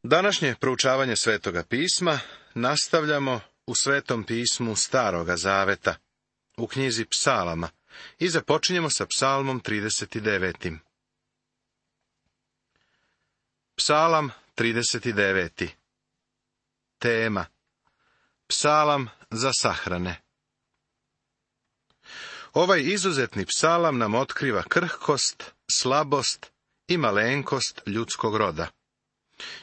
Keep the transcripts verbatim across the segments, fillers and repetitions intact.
Današnje proučavanje Svetoga pisma nastavljamo u Svetom pismu Staroga zaveta, u knjizi Psalama, i započinjemo sa Psalmom trideset devet. Psalam trideset devet. Tema: Psalam za sahrane. Ovaj izuzetni psalam nam otkriva krhkost, slabost i malenkost ljudskog roda.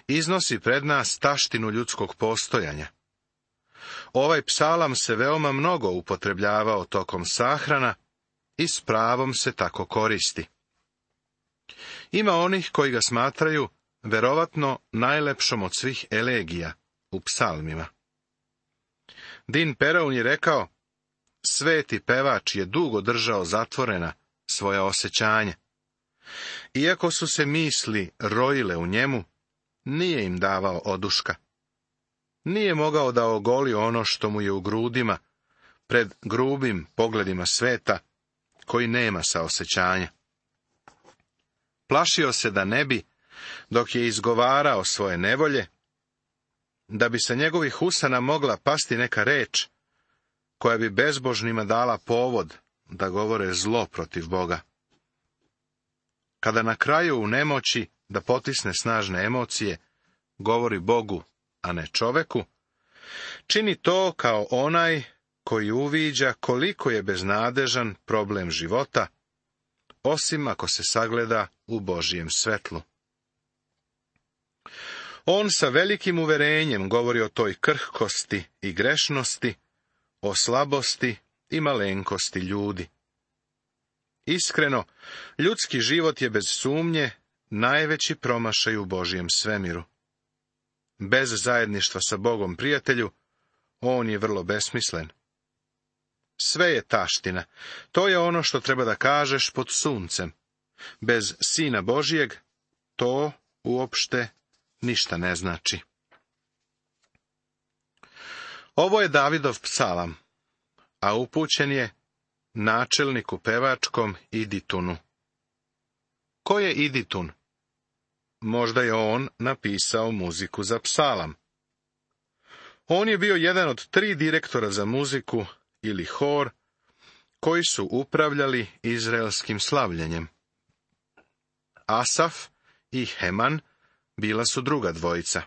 Iznosi pred nas taštinu ljudskog postojanja. Ovaj psalam se veoma mnogo upotrebljavao tokom sahrana i s pravom se tako koristi. Ima onih koji ga smatraju verovatno najlepšom od svih elegija u psalmima. Din Peraun je rekao: sveti pevač je dugo držao zatvorena svoja osjećanja. Iako su se misli rojile u njemu, nije im davao oduška. Nije mogao da ogoli ono što mu je u grudima, pred grubim pogledima sveta, koji nema saosećanja. Plašio se da ne bi, dok je izgovarao svoje nevolje, da bi sa njegovih usana mogla pasti neka reč, koja bi bezbožnima dala povod da govore zlo protiv Boga. Kada na kraju u nemoći da potisne snažne emocije, govori Bogu, a ne čoveku, čini to kao onaj koji uviđa koliko je beznadežan problem života, osim ako se sagleda u Božjem svetlu. On sa velikim uverenjem govori o toj krhkosti i grešnosti, o slabosti i malenkosti ljudi. Iskreno, ljudski život je bez sumnje najveći promašaj u Božjem svemiru. Bez zajedništva sa Bogom, prijatelju, on je vrlo besmislen. Sve je taština. To je ono što treba da kažeš pod suncem. Bez Sina Božijeg to uopšte ništa ne znači. Ovo je Davidov psalam, a upućen je načelniku pevačkom Iditunu. Ko je Iditun? Možda je on napisao muziku za psalam. On je bio jedan od tri direktora za muziku ili hor koji su upravljali izraelskim slavljenjem. Asaf i Heman bila su druga dvojica.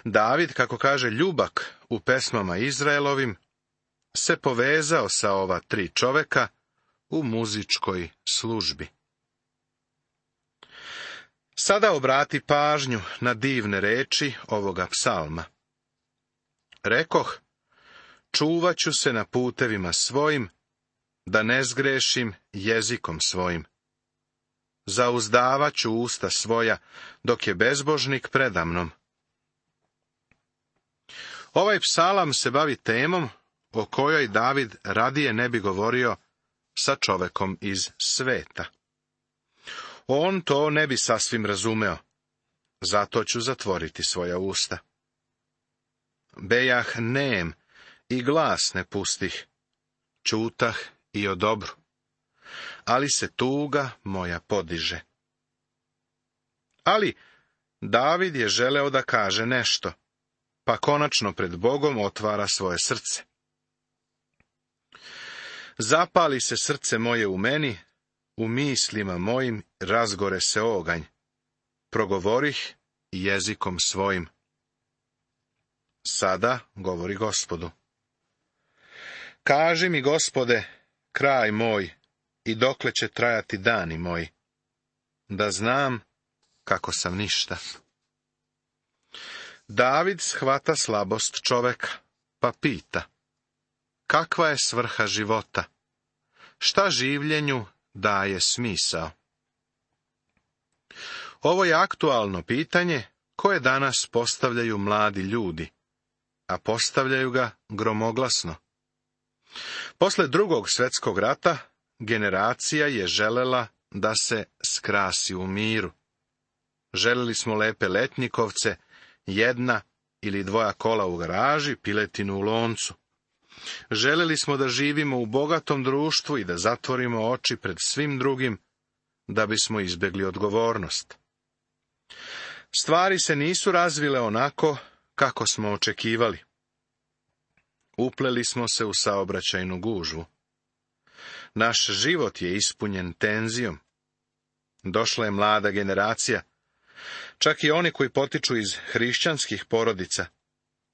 David, kako kaže Ljubak u pesmama Izraelovim, se povezao sa ova tri čoveka u muzičkoj službi. Sada obrati pažnju na divne reči ovoga psalma. Rekoh, čuvat ću se na putevima svojim, da ne zgrešim jezikom svojim. Zauzdavat ću usta svoja, dok je bezbožnik predamnom. Ovaj psalam se bavi temom o kojoj David radije ne bi govorio sa čovekom iz sveta. On to ne bi sasvim razumeo, zato ću zatvoriti svoja usta. Bejah nem i glas ne pustih, čutah i o dobru, ali se tuga moja podiže. Ali David je želeo da kaže nešto, pa konačno pred Bogom otvara svoje srce. Zapali se srce moje u meni, u mislima mojim razgore se oganj. Progovorih jezikom svojim. Sada govori Gospodu. Kaži mi, Gospode, kraj moj, i dokle će trajati dani moji, da znam kako sam ništa. David shvata slabost čoveka, pa pita: kakva je svrha života? Šta življenju daje smisao? Ovo je aktualno pitanje koje danas postavljaju mladi ljudi, a postavljaju ga gromoglasno. Posle drugog svjetskog rata generacija je želela da se skrasi u miru. Želeli smo lepe letnjikovce, jedna ili dvoja kola u garaži, piletinu u loncu. Želeli smo da živimo u bogatom društvu i da zatvorimo oči pred svim drugim, da bismo izbjegli odgovornost. Stvari se nisu razvile onako kako smo očekivali. Upleli smo se u saobraćajnu gužvu. Naš život je ispunjen tenzijom. Došla je mlada generacija, čak i oni koji potiču iz hrišćanskih porodica.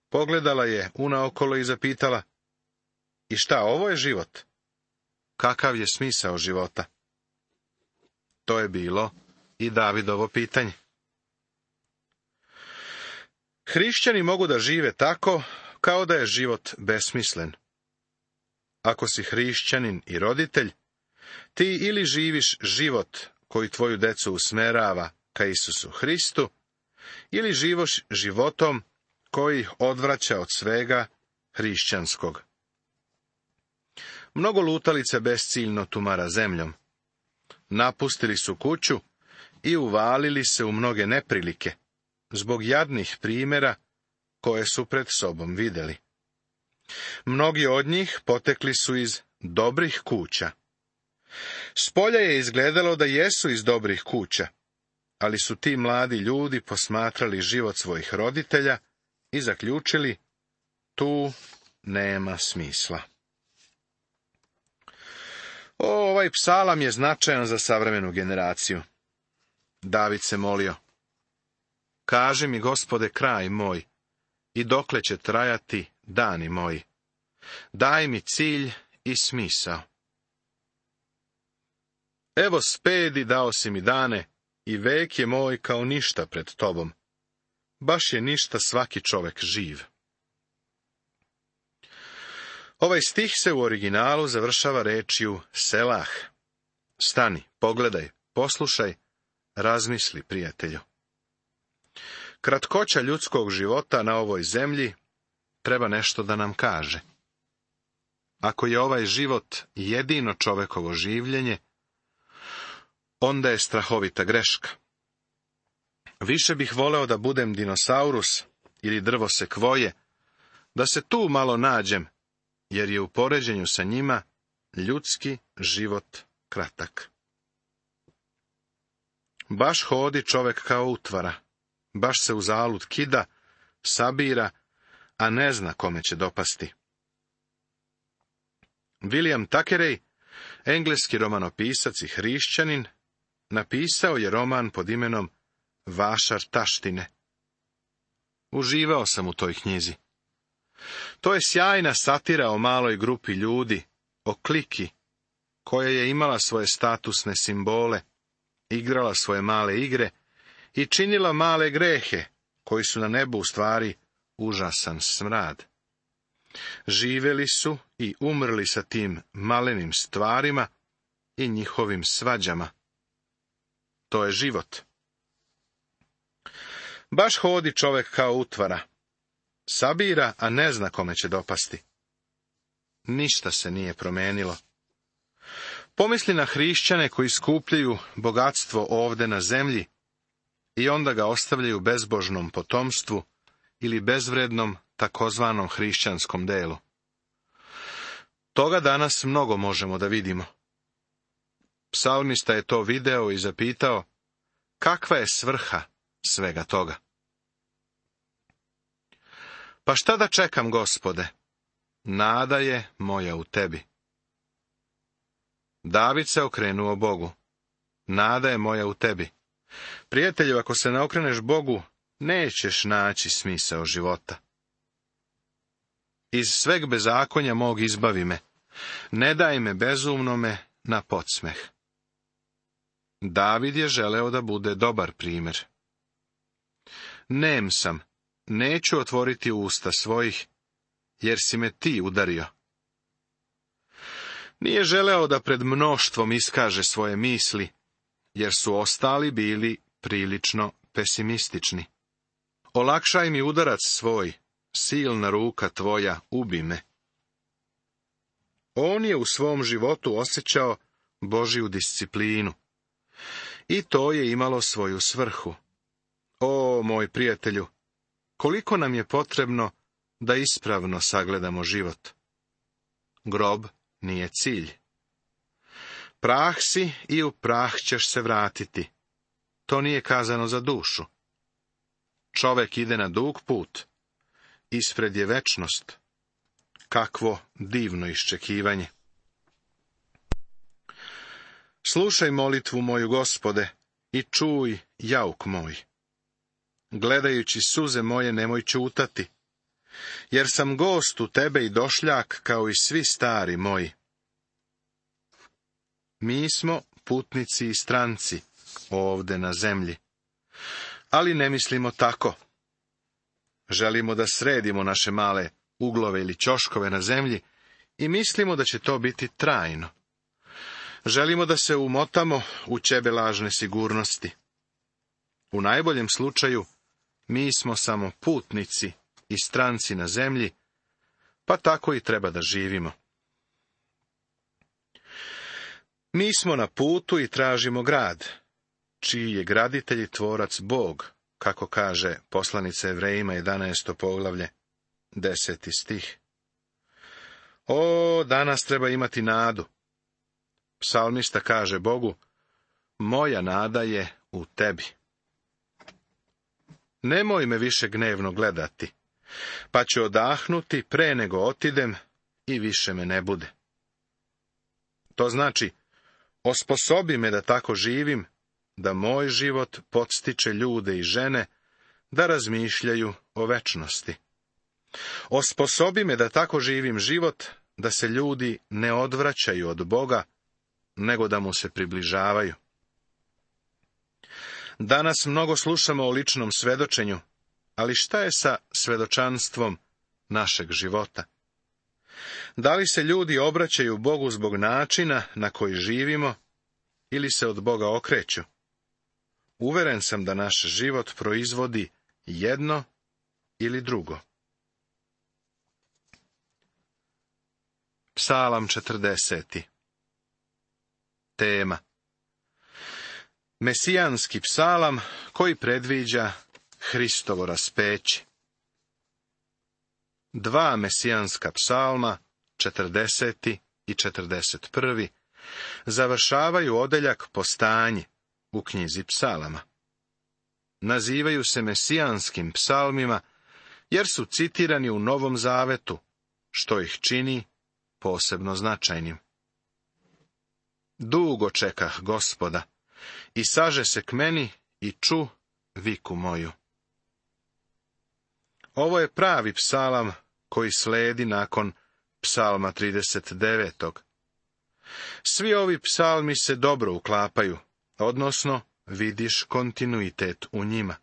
Pogledala je unaokolo i zapitala: i šta, ovo je život? Kakav je smisao života? To je bilo i Davidovo pitanje. Hrišćani mogu da žive tako kao da je život besmislen. Ako si hrišćanin i roditelj, ti ili živiš život koji tvoju decu usmerava ka Isusu Hristu, ili živoš životom koji ih odvraća od svega hrišćanskog. Mnogo lutalica besciljno tumara zemljom. Napustili su kuću i uvalili se u mnoge neprilike, zbog jadnih primjera koje su pred sobom vidjeli. Mnogi od njih potekli su iz dobrih kuća. Spolja je izgledalo da jesu iz dobrih kuća, ali su ti mladi ljudi posmatrali život svojih roditelja i zaključili: tu nema smisla. O, ovaj psalam je značajan za savremenu generaciju. David se molio: kaži mi, Gospode, kraj moj, i dokle će trajati dani moji. Daj mi cilj i smisao. Evo spedi dao si mi dane, i vek je moj kao ništa pred tobom. Baš je ništa svaki čovek živ. Ovaj stih se u originalu završava rečju selah. Stani, pogledaj, poslušaj, razmisli, prijatelju. Kratkoća ljudskog života na ovoj zemlji treba nešto da nam kaže. Ako je ovaj život jedino čovekovo življenje, onda je strahovita greška. Više bih voleo da budem dinosaurus ili drvo sekvoje, da se tu malo nađem, jer je u poređenju sa njima ljudski život kratak. Baš hodi čovek kao utvara, baš se uzalud kida, sabira, a ne zna kome će dopasti. William Thackeray, engleski romanopisac i hrišćanin, napisao je roman pod imenom Vašar taštine. Uživao sam u toj knjizi. To je sjajna satira o maloj grupi ljudi, o kliki, koja je imala svoje statusne simbole, igrala svoje male igre i činila male grehe, koji su na nebu u stvari užasan smrad. Živeli su i umrli sa tim malenim stvarima i njihovim svađama. To je život. Baš hodi čovek kao utvara. Sabira, a ne zna kome će dopasti. Ništa se nije promenilo. Pomisli na hrišćane koji skupljaju bogatstvo ovde na zemlji i onda ga ostavljaju bezbožnom potomstvu ili bezvrednom takozvanom hrišćanskom delu. Toga danas mnogo možemo da vidimo. Psalmista je to video i zapitao: kakva je svrha svega toga? Pa šta da čekam, Gospode? Nada je moja u tebi. David se okrenuo Bogu. Nada je moja u tebi. Prijatelju, ako se ne okreneš Bogu, nećeš naći smisao života. Iz sveg bezakonja mog izbavi me. Ne daj me bezumnome na podsmeh. David je želeo da bude dobar primjer. Nem sam, neću otvoriti usta svojih, jer si me ti udario. Nije želeo da pred mnoštvom iskaže svoje misli, jer su ostali bili prilično pesimistični. Olakšaj mi udarac svoj, silna ruka tvoja, ubi me. On je u svom životu osjećao Božju disciplinu. I to je imalo svoju svrhu. O, moj prijatelju, koliko nam je potrebno da ispravno sagledamo život. Grob nije cilj. Prah si i u prah ćeš se vratiti. To nije kazano za dušu. Čovek ide na dug put, ispred je večnost. Kakvo divno iščekivanje. Slušaj molitvu moju, Gospode, i čuj jauk moj. Gledajući suze moje nemoj ćutati, jer sam gost u tebe i došljak kao i svi stari moji. Mi smo putnici i stranci ovde na zemlji, ali ne mislimo tako. Želimo da sredimo naše male uglove ili ćoškove na zemlji i mislimo da će to biti trajno. Želimo da se umotamo u ćebe lažne sigurnosti. U najboljem slučaju, mi smo samo putnici i stranci na zemlji, pa tako i treba da živimo. Mi smo na putu i tražimo grad, čiji je graditelj i tvorac Bog, kako kaže poslanica Evrejima jedanaesto poglavlje, deseti stih. O, danas treba imati nadu. Psalmista kaže Bogu, moja nada je u tebi. Nemoj me više gnevno gledati, pa ću odahnuti pre nego otidem i više me ne bude. To znači, osposobi me da tako živim, da moj život podstiče ljude i žene da razmišljaju o večnosti. Osposobi me da tako živim život, da se ljudi ne odvraćaju od Boga, nego da mu se približavaju. Danas mnogo slušamo o ličnom svedočenju, ali šta je sa svedočanstvom našeg života? Da li se ljudi obraćaju Bogu zbog načina na koji živimo, ili se od Boga okreću? Uveren sam da naš život proizvodi jedno ili drugo. Psalam četrdeseti. Tema. Mesijanski psalam koji predviđa Hristovo raspeće. Dva mesijanska psalma, četrdeseti i četrdeset prvi, završavaju odeljak Postanje u knjizi psalama. Nazivaju se mesijanskim psalmima jer su citirani u Novom Zavetu, što ih čini posebno značajnim. Dugo čekah Gospoda, i saže se k meni i ču viku moju. Ovo je pravi psalam koji sledi nakon psalma trideset devetog. Svi ovi psalmi se dobro uklapaju, odnosno vidiš kontinuitet u njima.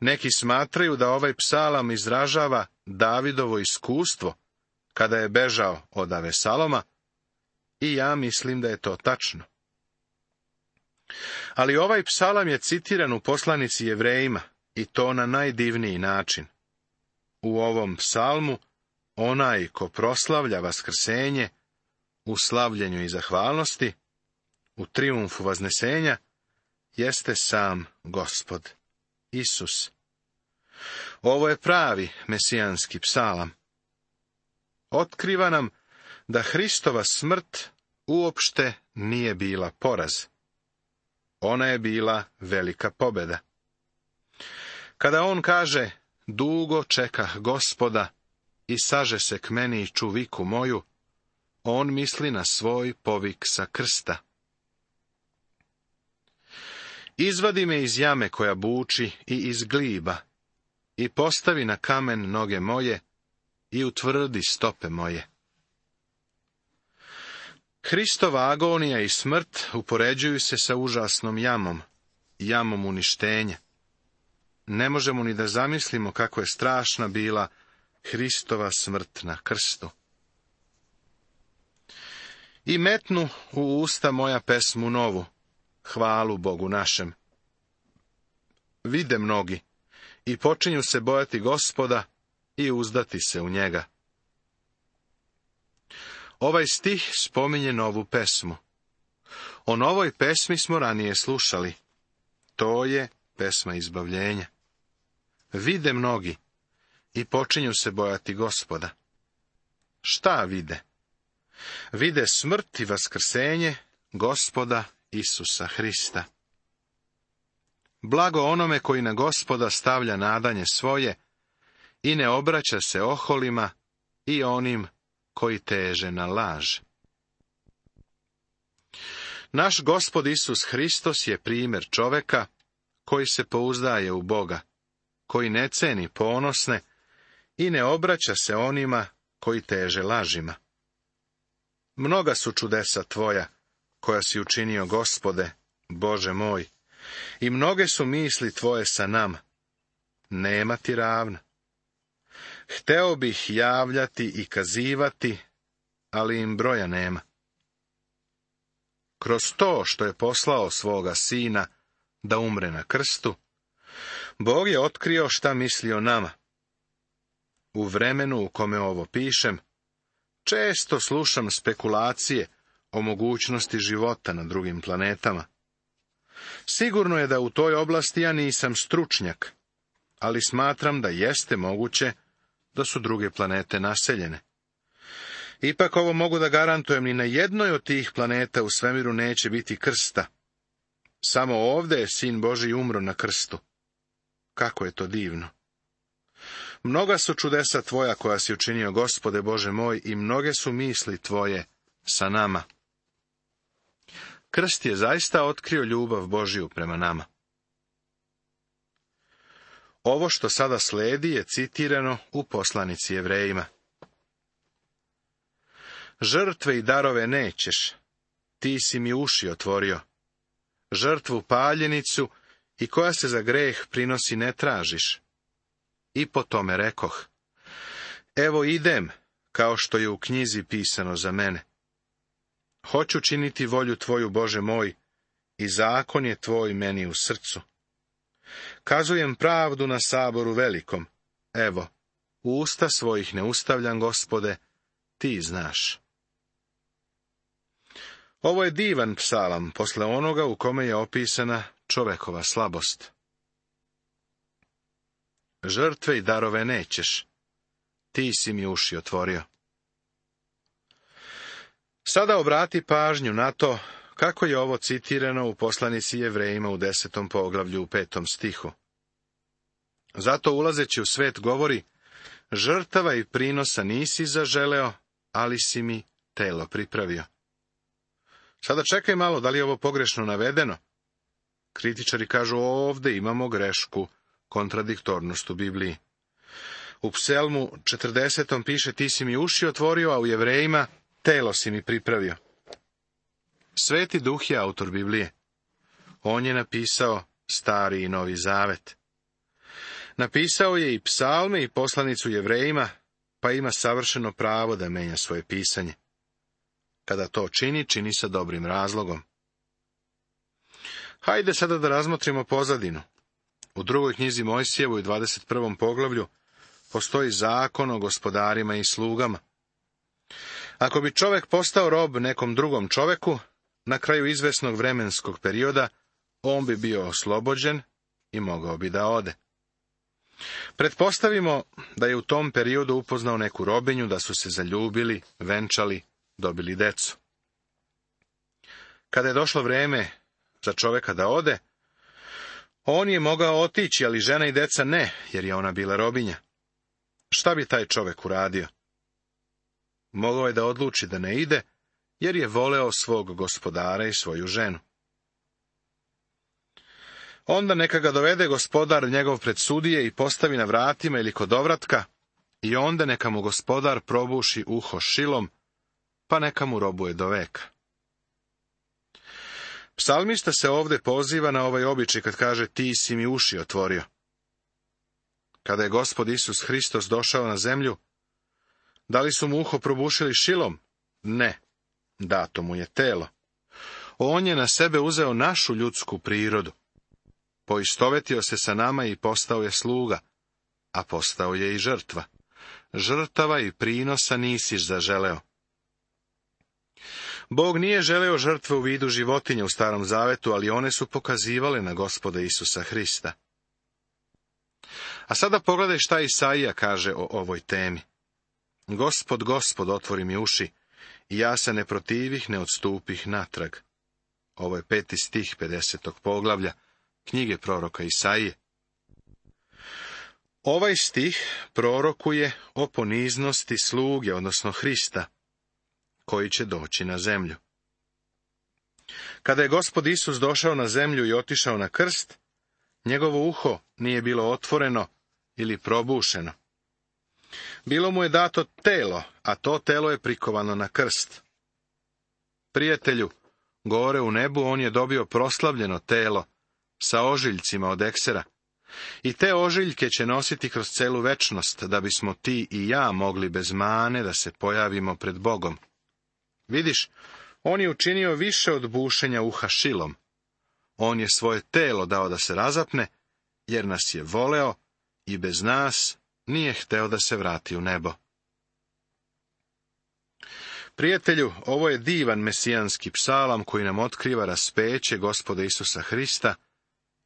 Neki smatraju da ovaj psalam izražava Davidovo iskustvo kada je bežao od Avesaloma, i ja mislim da je to tačno. Ali ovaj psalam je citiran u poslanici Jevrejima, i to na najdivniji način. U ovom psalmu onaj ko proslavlja vaskrsenje u slavljenju i zahvalnosti, u trijumfu vaznesenja, jeste sam Gospod, Isus. Ovo je pravi mesijanski psalam. Otkriva nam da Hristova smrt uopšte nije bila poraz. Ona je bila velika pobjeda. Kada on kaže, dugo čekah Gospoda i saže se k meni i ču viku moju, on misli na svoj povik sa krsta. Izvadi me iz jame koja buči i iz gliba, i postavi na kamen noge moje i utvrdi stope moje. Hristova agonija i smrt upoređuju se sa užasnom jamom, jamom uništenja. Ne možemo ni da zamislimo kako je strašna bila Hristova smrt na krstu. I metnu u usta moja pesmu novu, hvalu Bogu našem. Vide mnogi i počinju se bojati Gospoda i uzdati se u njega. Ovaj stih spominje novu pesmu. O novoj pesmi smo ranije slušali. To je pesma izbavljenja. Vide mnogi i počinju se bojati Gospoda. Šta vide? Vide smrt i vaskrsenje Gospoda Isusa Hrista. Blago onome koji na Gospoda stavlja nadanje svoje i ne obraća se oholima i onim koji teže na laž. Naš Gospod Isus Hristos je primjer čoveka koji se pouzdaje u Boga, koji ne ceni ponosne i ne obraća se onima koji teže lažima. Mnoga su čudesa tvoja, koja si učinio, Gospode, Bože moj, i mnoge su misli tvoje sa nama. Nema ti ravna. Hteo bih javljati i kazivati, ali im broja nema. Kroz to što je poslao svoga sina da umre na krstu, Bog je otkrio šta misli o nama. U vremenu u kome ovo pišem, često slušam spekulacije o mogućnosti života na drugim planetama. Sigurno je da u toj oblasti ja nisam stručnjak, ali smatram da jeste moguće da su druge planete naseljene. Ipak ovo mogu da garantujem, ni na jednoj od tih planeta u svemiru neće biti krsta. Samo ovde je Sin Božji umro na krstu. Kako je to divno! Mnoga su čudesa tvoja koja si učinio, Gospode Bože moj, i mnoge su misli tvoje sa nama. Krst je zaista otkrio ljubav Božju prema nama. Ovo što sada sledi je citirano u poslanici Jevrejima. Žrtve i darove nećeš, ti si mi uši otvorio. Žrtvu paljenicu i koja se za greh prinosi ne tražiš. I po tome rekoh, evo idem, kao što je u knjizi pisano za mene. Hoću činiti volju tvoju, Bože moj, i zakon je tvoj meni u srcu. Kazujem pravdu na saboru velikom, evo, u usta svojih ne ustavljam, Gospode, ti znaš. Ovo je divan psalam posle onoga u kome je opisana čovekova slabost. Žrtve i darove nećeš, ti si mi uši otvorio. Sada obrati pažnju na to kako je ovo citirano u poslanici Jevrejima u desetom poglavlju u petom stihu. Zato ulazeći u svet govori, žrtava i prinosa nisi zaželeo, ali si mi telo pripravio. Sada čekaj malo, da li je ovo pogrešno navedeno? Kritičari kažu, ovde imamo grešku, kontradiktornost u Bibliji. U Pselmu četrdesetom piše, ti si mi uši otvorio, a u Jevrejima, telo si mi pripravio. Sveti Duh je autor Biblije. On je napisao Stari i Novi Zavet. Napisao je i psalme i poslanicu Jevrejima, pa ima savršeno pravo da menja svoje pisanje. Kada to čini, čini sa dobrim razlogom. Hajde sada da razmotrimo pozadinu. U drugoj knjizi Mojsijevoj u dvadeset prvom poglavlju postoji zakon o gospodarima i slugama. Ako bi čovek postao rob nekom drugom čoveku, na kraju izvesnog vremenskog perioda, on bi bio oslobođen i mogao bi da ode. Pretpostavimo da je u tom periodu upoznao neku robinju, da su se zaljubili, venčali, dobili decu. Kada je došlo vreme za čoveka da ode, on je mogao otići, ali žena i deca ne, jer je ona bila robinja. Šta bi taj čovek uradio? Mogao je da odluči da ne ide, jer je voleo svog gospodara i svoju ženu. Onda neka ga dovede gospodar njegov pred sudije i postavi na vratima ili kod ovratka, i onda neka mu gospodar probuši uho šilom, pa neka mu robuje do veka. Psalmista se ovde poziva na ovaj običaj kad kaže, ti si mi uši otvorio. Kada je Gospod Isus Hristos došao na zemlju, da li su mu uho probušili šilom? Ne, dato mu je telo. On je na sebe uzeo našu ljudsku prirodu. Poistovetio se sa nama i postao je sluga, a postao je i žrtva. Žrtava i prinosa nisi zaželeo. Bog nije želeo žrtve u vidu životinja u Starom Zavetu, ali one su pokazivale na Gospoda Isusa Hrista. A sada pogledaj šta Isaija kaže o ovoj temi. Gospod, Gospod, otvori mi uši, i ja se ne protivih, ne odstupih natrag. Ovo je peti stih pedesetog poglavlja knjige proroka Isaije. Ovaj stih prorokuje o poniznosti sluge, odnosno Hrista, koji će doći na zemlju. Kada je Gospod Isus došao na zemlju i otišao na krst, njegovo uho nije bilo otvoreno ili probušeno. Bilo mu je dato telo, a to telo je prikovano na krst. Prijatelju, gore u nebu on je dobio proslavljeno telo sa ožiljcima od eksera. I te ožiljke će nositi kroz celu večnost, da bismo ti i ja mogli bez mane da se pojavimo pred Bogom. Vidiš, on je učinio više od bušenja uha šilom. On je svoje telo dao da se razapne, jer nas je voleo i bez nas nije hteo da se vrati u nebo. Prijatelju, ovo je divan mesijanski psalam koji nam otkriva raspeće Gospoda Isusa Hrista,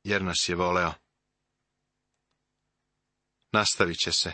jer nas je voleo. Nastavit će se.